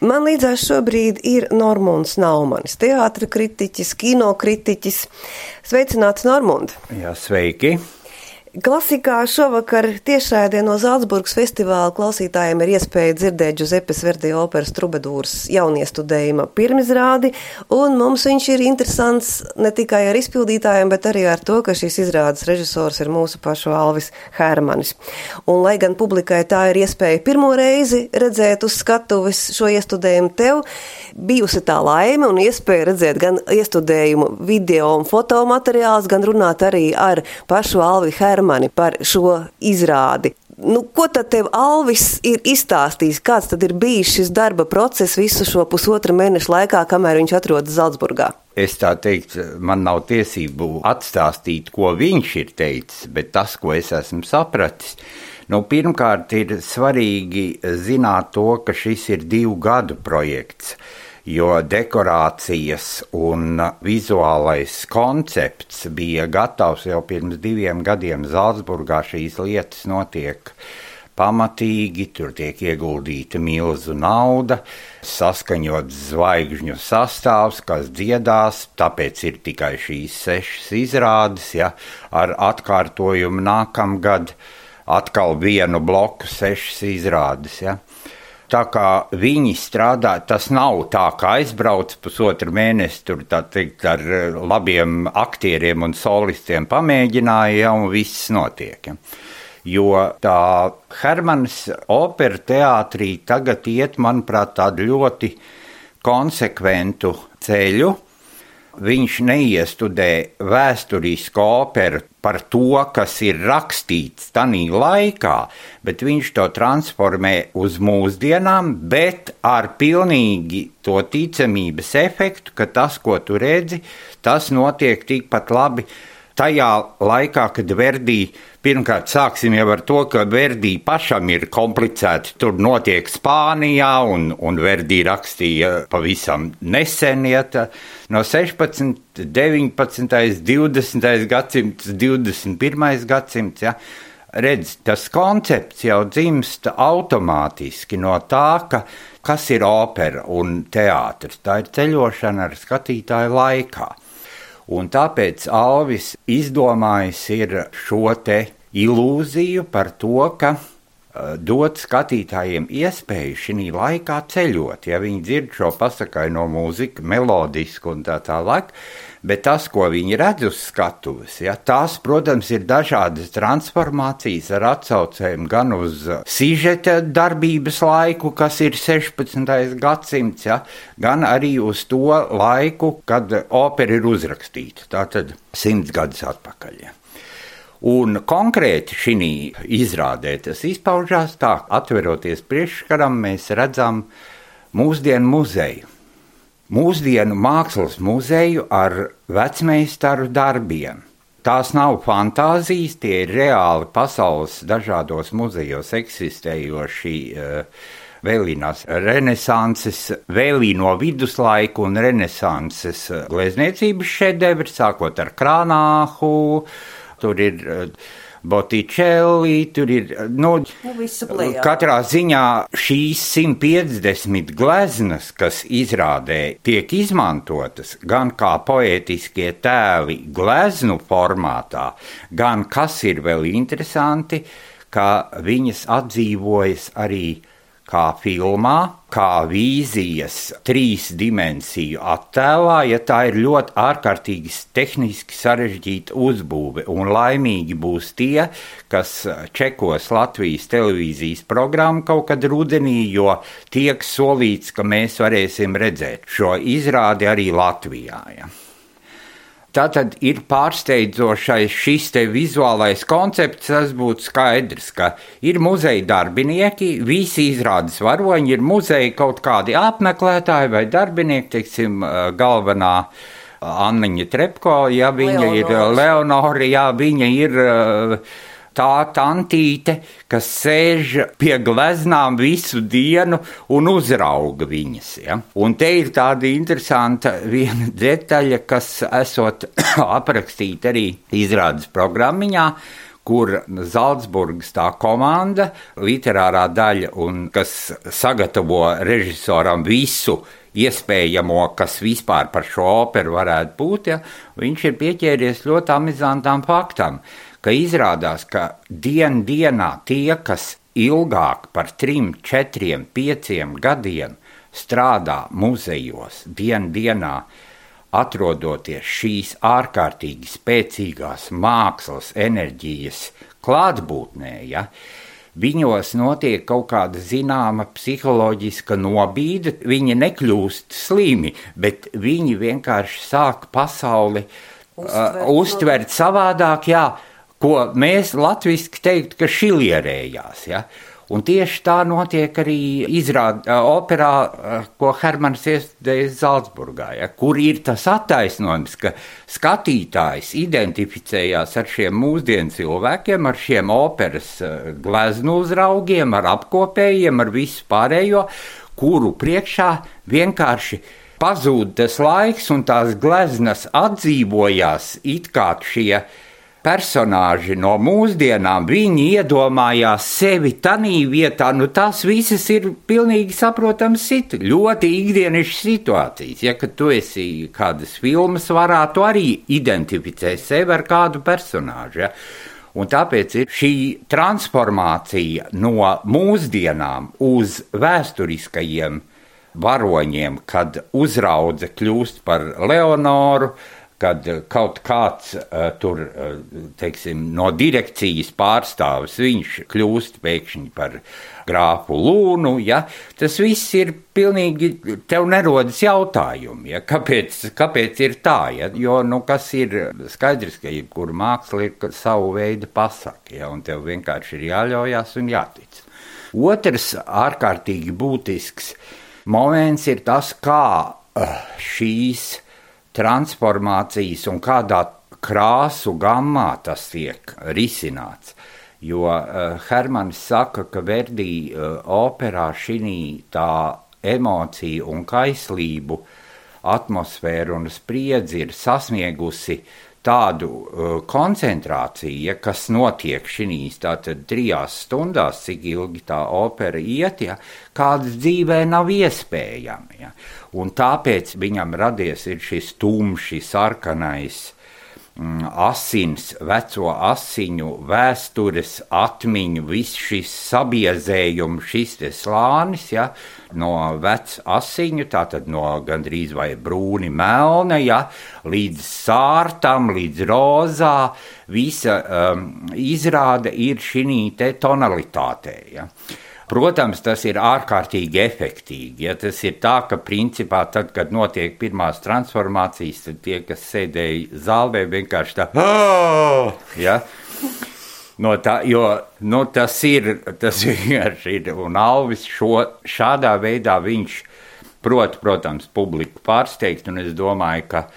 Man līdzās šobrīd ir Normunds Naumanis, teātra kritiķis, kino kritiķis. Sveicināts, Normund! Jā, sveiki! Klasikā šovakar tiešraidē no Zalcburgas festivāla klausītājiem ir iespēja dzirdēt Giusepes Verdi operas Trubadūras jauniestudējuma pirmizrādi, un mums viņš ir interesants ne tikai ar izpildītājiem, bet arī ar to, ka šīs izrādes režisors ir mūsu pašu Alvis Hermanis. Un lai gan publikai tā ir iespēja pirmo reizi redzēt uz skatuves šo iestudējumu, tev bijusi tā laime un iespēja redzēt gan iestudējumu video un fotomateriālus, gan runāt arī ar pašu Alvi Hermani par šo izrādi. Ko tad tev Alvis ir izstāstījis? Kāds tad ir bijis šis darba process visu šo pusotra mēneša laikā, kamēr viņš atrodas Zalcburgā? Es tā teiktu, man nav tiesību atstāstīt, ko viņš ir teicis, bet tas, ko es esmu sapratis, pirmkārt ir svarīgi zināt to, ka šis ir 2 gadu projekts, jo dekorācijas un vizuālais koncepts bija gatavs jau pirms 2 gadiem Zalcburgā. Šīs lietas notiek pamatīgi, tur tiek ieguldīta milzu nauda, saskaņots zvaigžņu sastāvs, kas dziedās, tāpēc ir tikai šīs 6 izrādes, ar atkārtojumu nākamgad atkal vienu bloku 6 izrādes, Tā kā viņi strādā, tas nav tā, kā aizbrauc pusotru mēnesi, tur tā teikt ar labiem aktieriem un solistiem pamēģināja, un viss notiek. Jo tā Hermanis opera teātrī tagad iet, manuprāt, tādu ļoti konsekventu ceļu. Viņš neiestudē vēsturisku operu par to, kas ir rakstīts tanī laikā, bet viņš to transformē uz mūsdienām, bet ar pilnīgi to ticamības efektu, ka tas, ko tu redzi, tas notiek tikpat labi tajā laikā, kad Verdi, pirmkārt sāksim jau ar to, ka Verdi pašam ir komplicēti, tur notiek Spānijā, un Verdi rakstīja pavisam nesen, no 16, 19, 20. gadsimts, 21. gadsimts, Redz, tas koncepts jau dzimst automātiski no tā, kas ir opera un teātris. Tā ir ceļošana ar skatītāju laikā. Un tāpēc Alvis izdomājis ir šo te ilūziju par to, ka dot skatītājiem iespēju šī laikā ceļot. Ja viņi dzird šo pasakaino mūziku, melodisku un tā tālāk, bet tas, ko viņi redz uz skatuves, tās, protams, ir dažādas transformācijas ar atsaucēm gan uz sižeta darbības laiku, kas ir 16. gadsimts, gan arī uz to laiku, kad opera ir uzrakstīta, tātad 100 gadus atpakaļ. Un konkrēti šī izrādē tas izpaužās tā, atveroties priekšskaram, mēs redzam mūsdienu muzeju. Mūsdienu mākslas muzeju ar vecmeistaru darbiem. Tās nav fantāzijas, tie ir reāli pasaules dažādos muzejos eksistējoši vēlīnās renesanses, vēlīno viduslaiku un renesanses glezniecības šedevri, sākot ar Krānāhu, tur ir Botticelli, tur ir, katrā ziņā šīs 150 gleznas, kas izrādē tiek izmantotas gan kā poētiskie tēli gleznu formātā, gan, kas ir vēl interesanti, ka viņas atdzīvojas arī kā filmā, kā vīzijas 3 dimensiju attēlā, tā ir ļoti ārkārtīgi tehniski sarežģīta uzbūve, un laimīgi būs tie, kas čekos Latvijas televīzijas programmu kaut kad rudenī, jo tiek solīts, ka mēs varēsim redzēt šo izrādi arī Latvijā. Tātad ir pārsteidzošais šis te vizuālais koncepts, tas būtu skaidrs, ka ir muzeja darbinieki, visi izrādes varoņi, ir muzeja kaut kādi apmeklētāji vai darbinieki, teiksim, galvenā Anniņa Trepko, viņa ir Leonora, viņa ir tā tantīte, kas sēž pie gleznām visu dienu un uzrauga viņas. Un te ir tāda interesanta viena detaļa, kas esot aprakstīta arī izrādes programmiņā, kur Zalcburgas tā komanda, literārā daļa, un kas sagatavo režisoram visu iespējamo, kas vispār par šo operu varētu būt, ja, viņš ir pieķēries ļoti amizantam faktam, ka izrādās, ka dienā tie, kas ilgāk par 3, 4, 5 gadiem strādā muzejos, dienā, atrodoties šīs ārkārtīgi spēcīgās mākslas enerģijas klātbūtnē, ja, viņos notiek kaut kāda zināma psiholoģiska nobīde, viņi nekļūst slimi, bet viņi vienkārši sāk pasauli uztvert savādāk, jā, ko mēs latviski teikt, ka šilierējās, ja. Un tieši tā notiek arī operā, ko Hermans iestudējis Zalcburgā, ja, kur ir tas attaisnojums, ka skatītājs identificējās ar šiem mūsdienu cilvēkiem, ar šiem operas gleznu uzraugiem, ar apkopējiem, ar visu pārējo, kuru priekšā vienkārši pazūd tas laiks un tās gleznas atdzīvojās it kā šie personāži no mūsdienām, viņi iedomājās sevi tanī vietā, tās visas ir pilnīgi saprotams ļoti ikdienišas situācijas. Ja, kad tu esi kādas filmas varā, tu arī identificē sevi ar kādu personāžu. Ja. Un tāpēc ir šī transformācija no mūsdienām uz vēsturiskajiem varoņiem, kad uzraudze kļūst par Leonoru, kad kaut kāds tur, teiksim, no direkcijas pārstāvis, viņš kļūst pēkšņi par grāfu Lūnu, ja, tas viss ir pilnīgi, tev nerodas jautājumi, ja, kāpēc ir tā, ja, jo, kas ir skaidrs, ka jebkura māksla ir savu veidu pasaka, ja, un tev vienkārši ir jāļaujās un jātic. Otrs ārkārtīgi būtisks moments ir tas, kā šīs transformācijas un kādā krāsu gammā tas tiek risināts. Jo Hermanis saka, ka Verdi operā šī tā emociju un kaislību atmosfēru un spriedzi ir sasniegusi tādu koncentrāciju, kas notiek šīs tātad 3 stundās, cik ilgi tā opera iet, ja, kādas dzīvē nav iespējami. Ja. Un tāpēc viņam radies ir šis tumši, sarkanais, asins, veco asiņu, vēstures atmiņu, viss šis sabiezējums, šis te slānis, ja, no vec asiņu, tātad no gandrīz vai brūni melna, ja, līdz sārtam, līdz rozā, visa izrāde ir šī te tonalitātē, ja. Protams, tas ir ārkārtīgi efektīgi. Ja tas ir tā, ka principā tad, kad notiek pirmās transformācijas, tad tie, kas sēdēja zālē, vienkārši tā, ja? No tā, jo tas vienkārši ir, un Alvis šādā veidā viņš protams, publiku pārsteigt, un es domāju, ka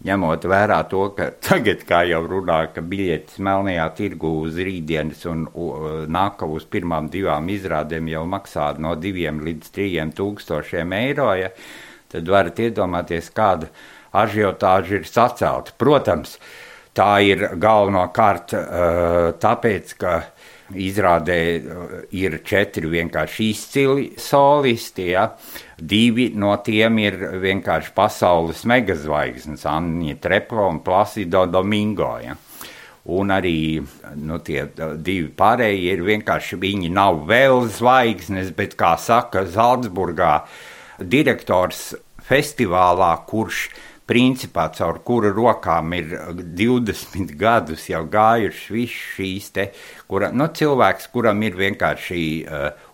ņemot vērā to, ka tagad, kā jau runā, ka biļetes melnajā tirgu uz rītdienas un nāk uz pirmām 2 izrādēm jau maksā no 2 līdz 3 tūkstošiem eiro, ja, tad varat iedomāties, kāda ažiotāža ir sacelta. Protams, tā ir galvenokārt tāpēc, ka izrādē ir 4 vienkārši izcili solisti, ja. 2 no tiem ir vienkārši pasaules megazvaigznes, Anņa Trepko un Placido Domingo. Ja. Un arī tie 2 pārējie ir vienkārši, viņi nav vēl zvaigznes, bet, kā saka Zalcburgā, direktors festivālā, kurš principā caur kura rokām ir 20 gadus jau gājuši viss šīs te, cilvēks, kuram ir vienkārši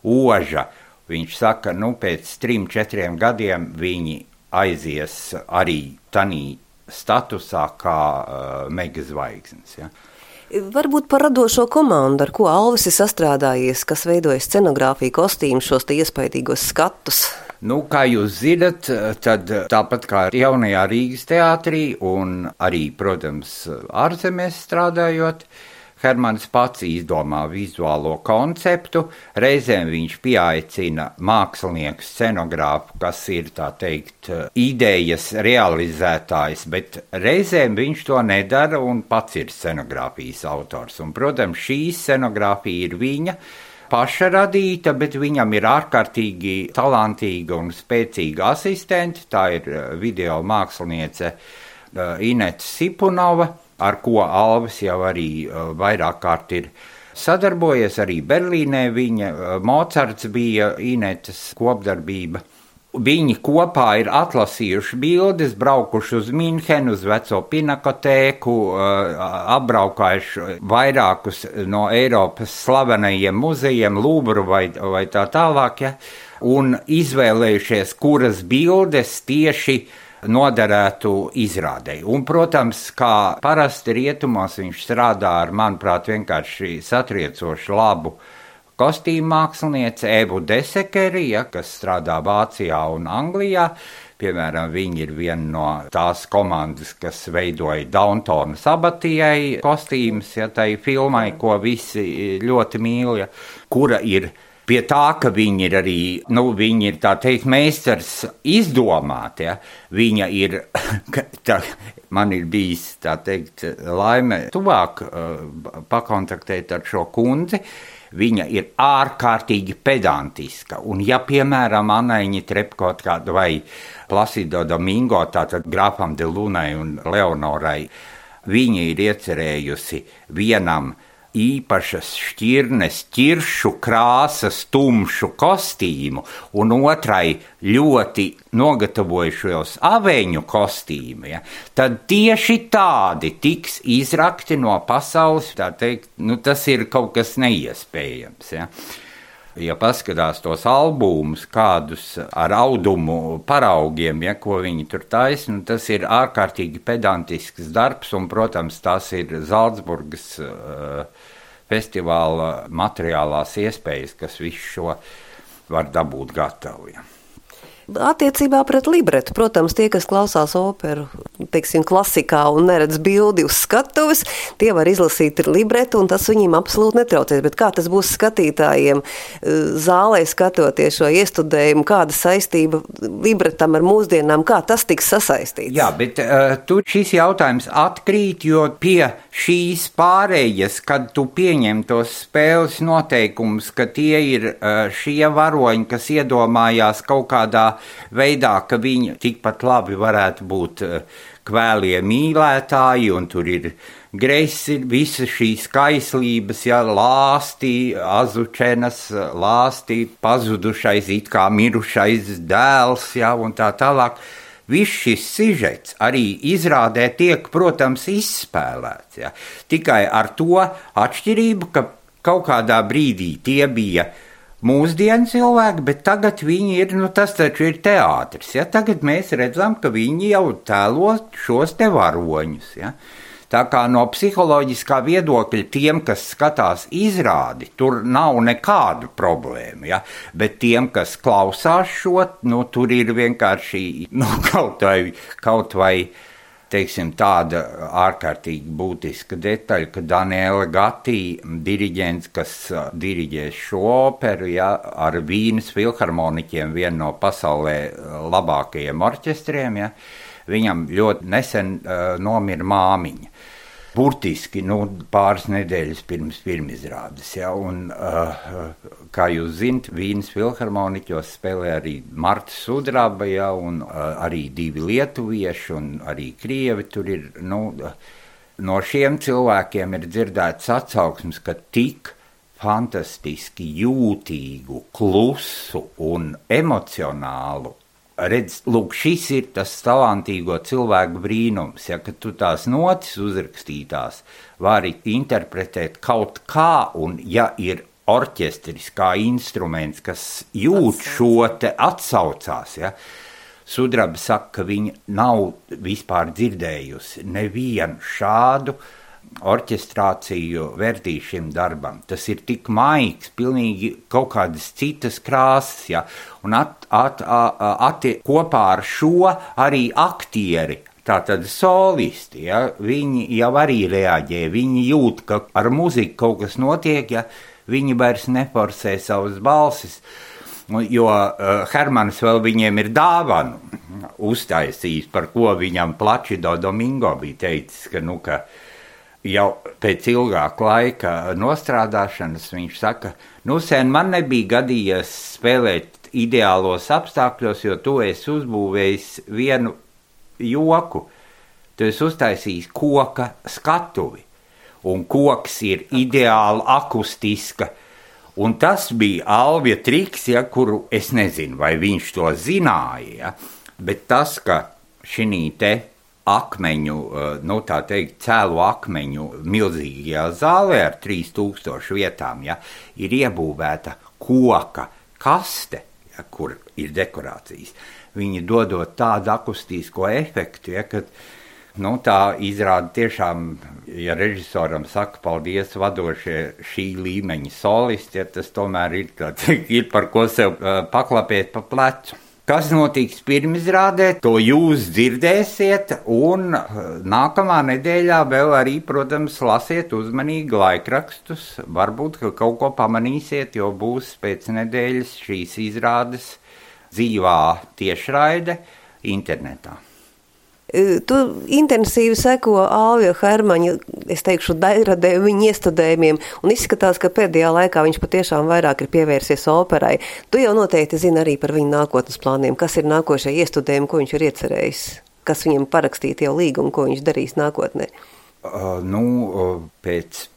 oža, viņš saka, pēc 3-4 gadiem viņi aizies arī tanī statusā kā megazvaigznes, ja. Varbūt par radošo komandu, ar ko Alvis ir sastrādājies, kas veidoja scenogrāfiju, kostīmu, šos te iespaidīgos skatus. Kā jūs zinat, tad tāpat kā jaunajā Rīgas teātrī un arī, protams, ārzemēs strādājot, Hermans pats izdomā vizuālo konceptu, reizēm viņš pieaicina mākslinieku scenogrāfu, kas ir, tā teikt, idejas realizētājs, bet reizēm viņš to nedara un pats ir scenogrāfijas autors. Un, protams, šī scenogrāfija ir viņa paša radīta, bet viņam ir ārkārtīgi talantīga un spēcīga asistente. Tā ir video māksliniece Ineta Sipunova, ar ko Alvis jau arī vairāk kārt ir sadarbojies. Arī Berlīnē viņa Mocarts bija Inetas kopdarbība. Viņi kopā ir atlasījuši bildes, braukuši uz Minhenu, uz veco pinakotēku, apbraukājuši vairākus no Eiropas slavenajiem muzejiem, Lūvru vai tā tālāk, ja, un izvēlējušies, kuras bildes tieši noderētu izrādei. Un, protams, kā parasti rietumos, viņš strādā ar, manuprāt, vienkārši satriecoši labu kostīmu māksliniece Evu Desekeri, kas strādā Vācijā un Anglijā. Piemēram, viņa ir viena no tās komandas, kas veidoja Dauntona Sabatijai kostīmus, tai filmai, ko visi ļoti mīl, kura ir pie tā, ka viņi ir arī, viņi ir, tā teikt, meistars izdomāt, viņa ir, man ir bijis, tā teikt, laime tuvāk pakontaktēt ar šo kundzi. Viņa ir ārkārtīgi pedantiska, un ja, piemēram, Anaiņa Trepkot vai Placido Domingo, tātad grafam de Lunai un Leonorai, viņa ir iecerējusi vienam īpašas šķirnes, ķiršu krāsas, tumšu kostīmu, un otrai ļoti nogatavojušos aveņu kostīmu, tad tieši tādi tiks izrakti no pasaules, tā teikt, tas ir kaut kas neiespējams, Ja paskatās tos albumus, kādus ar audumu paraugiem, ko viņi tur taisa, tas ir ārkārtīgi pedantisks darbs, un, protams, tas ir Zalcburgas festivāla materiālās iespējas, kas visu šo var dabūt gatavu. Attiecībā pret libretu, protams, tie, kas klausās operu, teiksim, klasikā un neredz bildi uz skatuves, tie var izlasīt libretu, un tas viņiem absolūti netraucēs. Bet kā tas būs skatītājiem zālē skatoties šo iestudējumu, kāda saistība libretam ar mūsdienām, kā tas tiks sasaistīts? Jā, bet tur šis jautājums atkrīt, jo pie šīs pārējas, kad tu pieņem tos spēles noteikumus, ka tie ir šie varoņi, kas iedomājās kaut kādā veidā, ka viņi tikpat labi varētu būt kvēlie mīlētāji, un tur ir gresi, visas šīs skaislības, lāsti, azučenas, lāsti, pazudušais, it kā mirušais dēls, un tā tālāk. Viss šis sižets arī izrādē tiek, protams, izspēlēts. Tikai ar to atšķirību, ka kaut kādā brīdī tie bija mūsdienu cilvēki, bet tagad viņi ir, tas taču ir teātris. Tagad mēs redzam, ka viņi jau tēlo šos te varoņus. Tā kā no psiholoģiskā viedokļa tiem, kas skatās izrādi, tur nav nekādu problēmu, bet tiem, kas klausās šo, tur ir vienkārši kaut vai teiksim, tāda ārkārtīgi būtiska detaļa, ka Daniela Gatti, diriģents, kas diriģēs šo operu, ar Vīnes filharmoniķiem, vienu no pasaulē labākajiem orķestriem, viņam ļoti nesen nomira māmiņa. Burtiski pāris nedēļas pirms pirmizrādes. Un, kā jūs zinat, Vīnes filharmoniķos spēlē arī Marta Sudraba, un arī 2 lietuvieši, un arī krievi tur ir. No šiem cilvēkiem ir dzirdēts atsauksmes, ka tik fantastiski jūtīgu, klusu un emocionālu. Redz, lūk, šis ir tas talantīgo cilvēku brīnums, ka tu tās notis uzrakstītās vari interpretēt kaut kā, un ja ir orķestris kā instruments, kas jūt šo te atsaucās, Sudraba saka, ka viņa nav vispār dzirdējusi nevienu šādu orķestrāciju vērtī šim darbam. Tas ir tik maigs, pilnīgi kaut kādas citas krāsas, un kopā ar šo arī aktieri Tātad solisti, ja, viņi jau arī reaģē, viņi jūt, ka ar muziku kaut kas notiek, ja viņi vairs neforsē savas balsis, jo Hermanis vēl viņiem ir dāvanu uztaisījis, par ko viņam Plačido Domingo bija teicis, ka jau pēc ilgāka laika nostrādāšanas viņš saka, sen man nebija gadījies spēlēt ideālos apstākļos, jo tu esi uzbūvējis vienu joku. Tu esi uztaisījis koka skatuvi, un koks ir ideāli akustiska. Un tas bija Alvija triks, ja, kuru es nezinu, vai viņš to zināja, ja, bet tas, ka šī te akmeņu, tā teikt, cēlu akmeņu milzīgajā zālē ar 3000 vietām, ja, ir iebūvēta koka kaste, ja, kur ir dekorācijas. Viņi dodot tādu akustisko efektu, ja, ka tā izrāda tiešām, ja režisoram saka paldies vadošie šī līmeņa solisti, ja tas tomēr ir par ko sev paklapēt pa plecu. Kas notiks pirmizrādē, to jūs dzirdēsiet, un nākamā nedēļā vēl arī, protams, lasiet uzmanīgi laikrakstus. Varbūt, ka kaut ko pamanīsiet, jo būs pēc nedēļas šīs izrādes dzīvā tiešraide internetā. Tu intensīvi seko Alvija Hermaņa, es teikšu, dairadē viņa iestudējumiem, un izskatās, ka pēdējā laikā viņš patiešām vairāk ir pievērsies operai. Tu jau noteikti zini arī par viņa nākotnes plāniem, kas ir nākošie iestudējumi, ko viņš ir iecerējis, kas viņam parakstīt jau līgumu, ko viņš darīs nākotnē. Pēc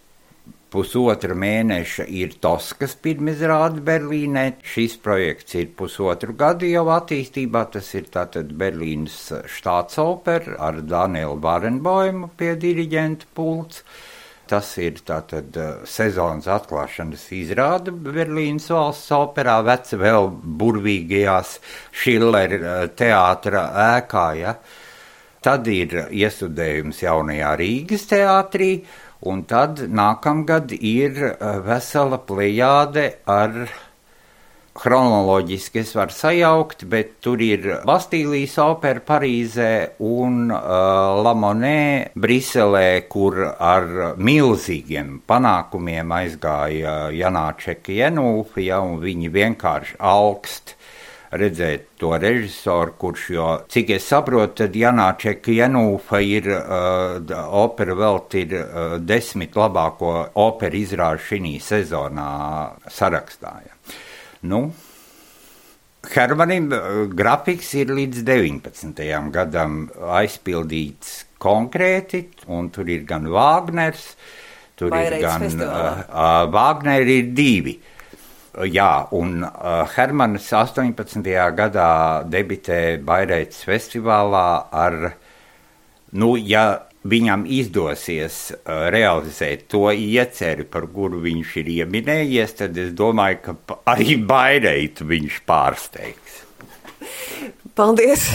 pusotra mēneša ir Toskas pirmizrāde Berlīnē. Šis projekts ir pusotru gadu jau attīstībā. Tas ir tātad Berlīnas štātsopera ar Danielu Barenboimu pie diriģenta pults. Tas ir tātad sezonas atklāšanas izrāde Berlīnas valsts operā, veci vēl burvīgajās Schiller teātra ēkā. Ja. Tad ir iestudējums jaunajā Rīgas teātrī. Un tad nākamgad ir vesela plejāde ar chronoloģiski es varu sajaukt, bet tur ir Bastīlijas opera Parīzē un La Monnaie Briselē, kur ar milzīgiem panākumiem aizgāja Janāčeka Jenulfa, ja, un viņi vienkārši augst redzēt to režisoru, kurš, jo, cik es saprotu, tad Janāčeka Jenulfa ir opera velt ir 10 labāko operu izrāžu šī sezonā sarakstā. Ja. Hermanim grafiks ir līdz 19. gadam aizpildīts konkrēti, un tur ir gan Vāgners, tur ir gan Vāgneri ir 2. Jā, un Hermanis 18. gadā debitē Baireitas festivālā ar, ja viņam izdosies realizēt to ieceri, par kuru viņš ir ieminējies, tad es domāju, ka arī Baireitu viņš pārsteigs. Paldies!